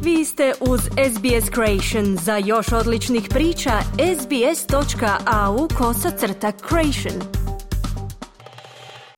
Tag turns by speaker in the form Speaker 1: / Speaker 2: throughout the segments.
Speaker 1: Vi ste uz SBS Creation. Za još odličnih priča, sbs.au/creation.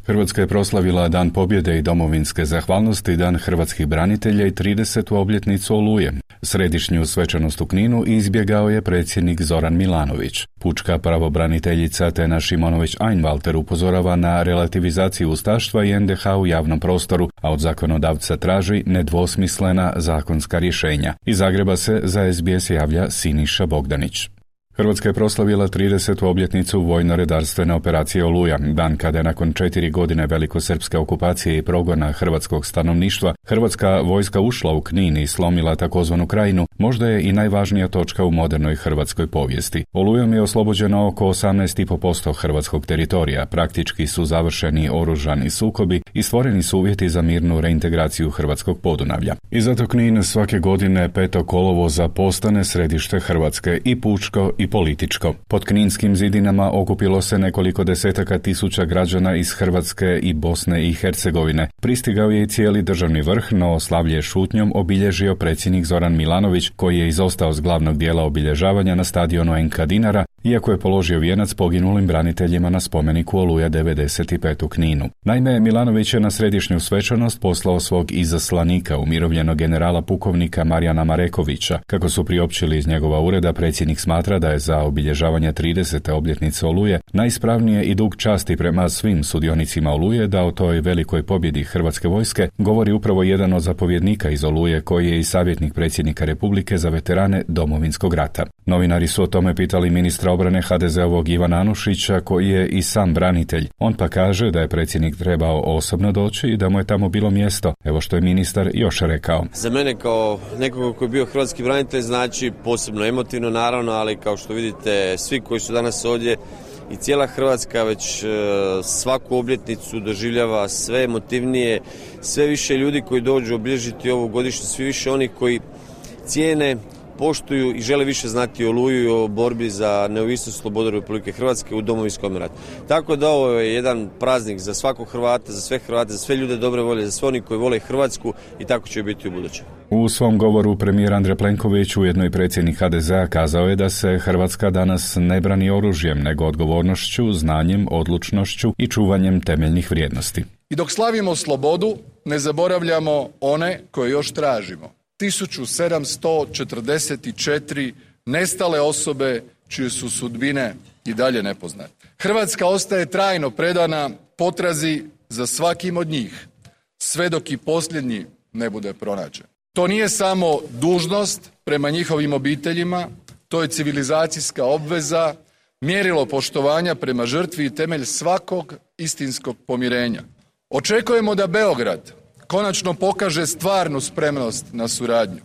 Speaker 2: Hrvatska je proslavila Dan pobjede i domovinske zahvalnosti, Dan hrvatskih branitelja i 30. obljetnicu Oluje. Središnju svečanost u Kninu izbjegao je predsjednik Zoran Milanović. Pučka pravobraniteljica Tena Šimonović-Einwalter upozorava na relativizaciju ustaštva i NDH u javnom prostoru, a od zakonodavca traži nedvosmislena zakonska rješenja. Iz Zagreba se za SBS javlja Siniša Bogdanić. Hrvatska je proslavila 30. obljetnicu vojno-redarstvene operacije Oluja, dan kada je nakon 4 godine velikosrpske okupacije i progona hrvatskog stanovništva hrvatska vojska ušla u Knin i slomila takozvanu Krajinu, možda je i najvažnija točka u modernoj hrvatskoj povijesti. Olujom je oslobođeno oko 18,5% hrvatskog teritorija, praktički su završeni oružani sukobi i stvoreni su uvjeti za mirnu reintegraciju hrvatskog Podunavlja. I zato Knin svake godine 5. kolovoza postane središte Hrvatske i pučko i političko. Pod kninskim zidinama okupilo se nekoliko desetaka tisuća građana iz Hrvatske i Bosne i Hercegovine. Pristigao je i cijeli državni vrh, no slavlje je šutnjom obilježio predsjednik Zoran Milanović, koji je izostao s glavnog dijela obilježavanja na stadionu NK Dinara, iako je položio vijenac poginulim braniteljima na spomeniku Oluja 95 u Kninu. Naime, Milanović je na središnju svečanost poslao svog izaslanika, umirovljenog generala pukovnika Marijana Marekovića. Kako su priopćili iz njegova ureda, predsjednik smatra da je za obilježavanje 30. obljetnice Oluje najispravnije i dug časti prema svim sudionicima Oluje da o toj velikoj pobjedi hrvatske vojske govori upravo jedan od zapovjednika iz Oluje, koji je i savjetnik predsjednika Republike za veterane Domovinskog rata. Novinari su o tome pitali ministra obrane HDZ-ovog Ivana Anušića, koji je i sam branitelj. On pa kaže da je predsjednik trebao osobno doći i da mu je tamo bilo mjesto. Evo što je ministar još rekao.
Speaker 3: Za mene kao nekoga koji je bio hrvatski branitelj znači posebno emotivno naravno, ali kao što vidite svi koji su danas ovdje i cijela Hrvatska već svaku obljetnicu doživljava sve emotivnije, sve više ljudi koji dođu obilježiti ovu godišnju, svi više onih koji cijene, poštuju i žele više znati o Oluji i o borbi za neovisnost i slobodu Republike Hrvatske u Domovinskom ratu. Tako da ovo je jedan praznik za svakog Hrvata, za sve ljude dobre volje, za sve oni koji vole Hrvatsku i tako će biti u buduće.
Speaker 2: U svom govoru premijer Andrej Plenković, ujedno i predsjednik HDZ-a, kazao je da se Hrvatska danas ne brani oružjem, nego odgovornošću, znanjem, odlučnošću i čuvanjem temeljnih vrijednosti.
Speaker 4: I dok slavimo slobodu, ne zaboravljamo one koje još tražimo. 1744 nestale osobe čije su sudbine i dalje nepoznate. Hrvatska ostaje trajno predana potrazi za svakim od njih, sve dok i posljednji ne bude pronađen. To nije samo dužnost prema njihovim obiteljima, to je civilizacijska obveza, mjerilo poštovanja prema žrtvi i temelj svakog istinskog pomirenja. Očekujemo da Beograd konačno pokaže stvarnu spremnost na suradnju,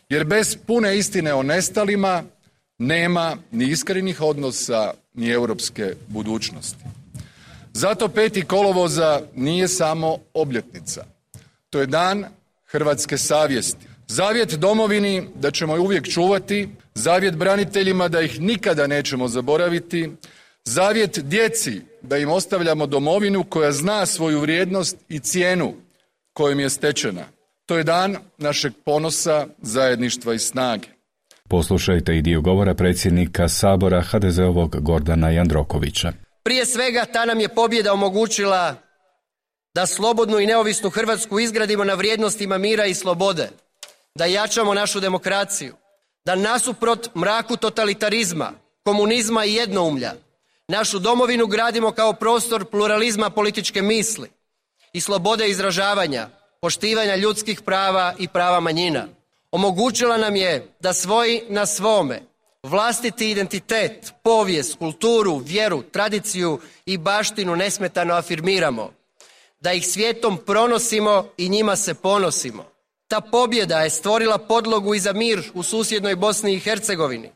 Speaker 4: jer bez pune istine o nestalima nema ni iskrenih odnosa ni europske budućnosti. Zato 5. kolovoza nije samo obljetnica. To je dan hrvatske savjesti. Zavjet domovini da ćemo je uvijek čuvati, zavjet braniteljima da ih nikada nećemo zaboraviti, zavjet djeci da im ostavljamo domovinu koja zna svoju vrijednost i cijenu kojim je stečena. To je dan našeg ponosa, zajedništva i snage.
Speaker 2: Poslušajte i dio govora predsjednika Sabora HDZ-ovog Gordana Jandrokovića.
Speaker 5: Prije svega ta nam je pobjeda omogućila da slobodnu i neovisnu Hrvatsku izgradimo na vrijednostima mira i slobode, da jačamo našu demokraciju, da nasuprot mraku totalitarizma, komunizma i jednoumlja, našu domovinu gradimo kao prostor pluralizma političke misli i slobode izražavanja, poštivanja ljudskih prava i prava manjina. Omogućila nam je da svoji na svome vlastiti identitet, povijest, kulturu, vjeru, tradiciju i baštinu nesmetano afirmiramo, da ih svijetom pronosimo i njima se ponosimo. Ta pobjeda je stvorila podlogu i za mir u susjednoj Bosni i Hercegovini,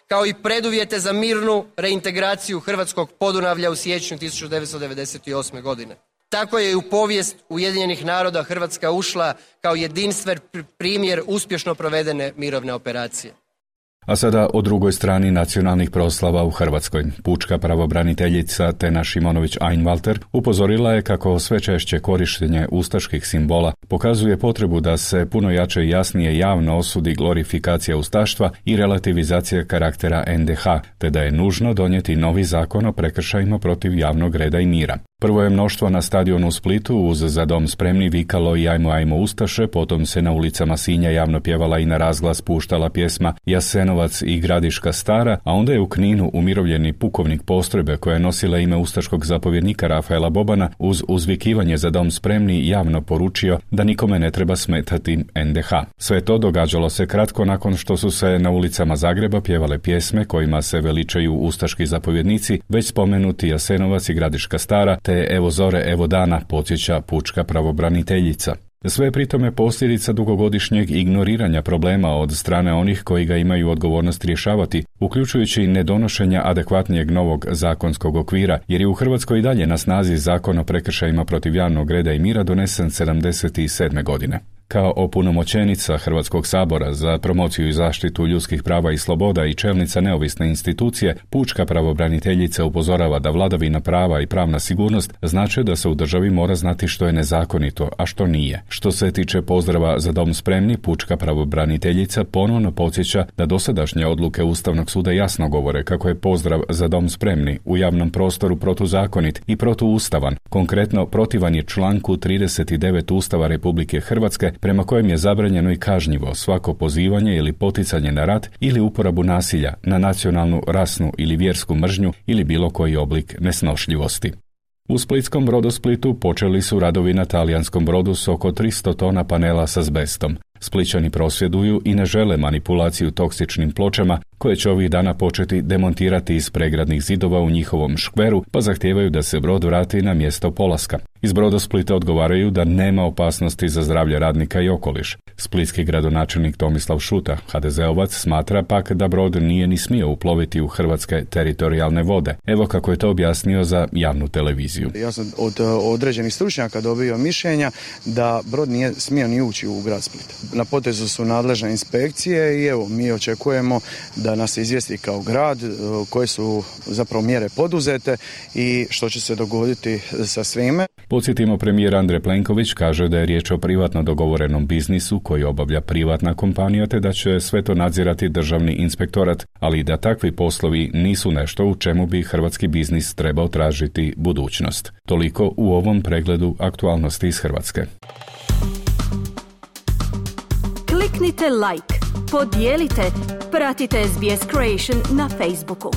Speaker 5: kao i preduvjete za mirnu reintegraciju hrvatskog Podunavlja u siječnju 1998. godine. Tako je i u povijest Ujedinjenih naroda Hrvatska ušla kao jedinstven primjer uspješno provedene mirovne operacije.
Speaker 2: A sada o drugoj strani nacionalnih proslava u Hrvatskoj. Pučka pravobraniteljica Tena Šimonović-Einwalter upozorila je kako sve češće korištenje ustaških simbola pokazuje potrebu da se puno jače i jasnije javno osudi glorifikacija ustaštva i relativizacija karaktera NDH, te da je nužno donijeti novi zakon o prekršajima protiv javnog reda i mira. Prvo je mnoštvo na stadionu u Splitu uz Za dom spremni vikalo i ajmo, ajmo ustaše, potom se na ulicama Sinja javno pjevala i na razglas puštala pjesma Jasenovac i Gradiška Stara, a onda je u Kninu umirovljeni pukovnik postrojbe koja je nosila ime ustaškog zapovjednika Rafaela Bobana uz uzvikivanje Za dom spremni javno poručio da nikome ne treba smetati NDH. Sve to događalo se kratko nakon što su se na ulicama Zagreba pjevale pjesme kojima se veličaju ustaški zapovjednici, već spomenuti Jasenovac i Gradiška Stara, te Evo zore, evo dana, podsjeća pučka pravobraniteljica. Sve je pritome posljedica dugogodišnjeg ignoriranja problema od strane onih koji ga imaju odgovornost rješavati, uključujući nedonošenja adekvatnijeg novog zakonskog okvira, jer je u Hrvatskoj i dalje na snazi Zakon o prekršajima protiv javnog reda i mira donesen 1977. godine. Kao opunomoćenica Hrvatskog sabora za promociju i zaštitu ljudskih prava i sloboda i čelnica neovisne institucije, pučka pravobraniteljica upozorava da vladavina prava i pravna sigurnost znače da se u državi mora znati što je nezakonito, a što nije. Što se tiče pozdrava Za dom spremni, pučka pravobraniteljica ponovno podsjeća da dosadašnje odluke Ustavnog suda jasno govore kako je pozdrav Za dom spremni u javnom prostoru protuzakonit i protuustavan. Konkretno, protivan je članku 39 Ustava Republike Hrvatske, prema kojem je zabranjeno i kažnjivo svako pozivanje ili poticanje na rat ili uporabu nasilja na nacionalnu, rasnu ili vjersku mržnju ili bilo koji oblik nesnošljivosti. U splitskom Brodosplitu počeli su radovi na talijanskom brodu s oko 300 tona panela s azbestom. Splićani prosvjeduju i ne žele manipulaciju toksičnim pločama koje će ovih dana početi demontirati iz pregradnih zidova u njihovom škveru, pa zahtijevaju da se brod vrati na mjesto polaska. Iz Brodosplita odgovaraju da nema opasnosti za zdravlje radnika i okoliš. Splitski gradonačelnik Tomislav Šuta, HDZ-ovac, smatra pak da brod nije ni smio uploviti u hrvatske teritorijalne vode. Evo kako je to objasnio za javnu televiziju.
Speaker 6: Ja sam od određenih stručnjaka dobio mišljenja da brod nije smio ni ući u grad Split. Na potezu su nadležne inspekcije i evo, mi očekujemo da nas izvijesti kao grad koje su zapravo mjere poduzete i što će se dogoditi sa svime.
Speaker 2: Podsjetimo, premijer Andrej Plenković kaže da je riječ o privatno dogovorenom biznisu koji obavlja privatna kompanija, te da će sve to nadzirati državni inspektorat, ali da takvi poslovi nisu nešto u čemu bi hrvatski biznis trebao tražiti budućnost. Toliko u ovom pregledu aktualnosti iz Hrvatske.
Speaker 1: Kliknite like, podijelite, pratite SBS Creation na Facebooku.